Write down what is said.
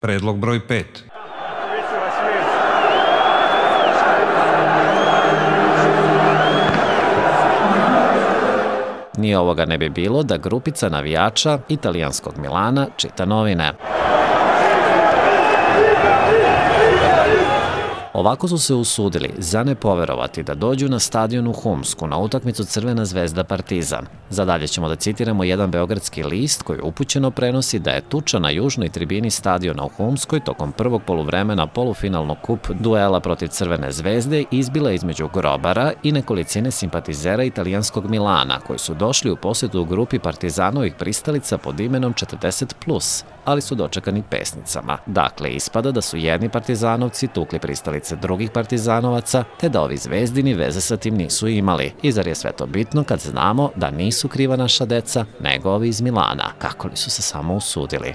Predlog broj 5. Ni ovoga ne bi bilo da grupica navijača italijanskog Milana čita novine. Ovako su se usudili za ne poverovati da dođu na stadion u Humsku na utakmicu Crvena zvezda Partizan. Za dalje ćemo da citiramo jedan beogradski list koji upućeno prenosi da je tuča na južnoj tribini stadiona u Humskoj tokom prvog poluvremena polufinalnog kup duela protiv Crvene zvezde izbila između grobara i nekolicine simpatizera italijanskog Milana koji su došli u posetu u grupi Partizanovih pristalica pod imenom 40+, ali su dočekani pesnicama. Dakle, ispada da su jedni partizanovci tukli pristalice drugih partizanovaca, te da ovi zvezdini veze sa tim nisu imali. I zar je sve to bitno kad znamo da nisu kriva naša deca, nego ovi iz Milana, kako li su se samo usudili.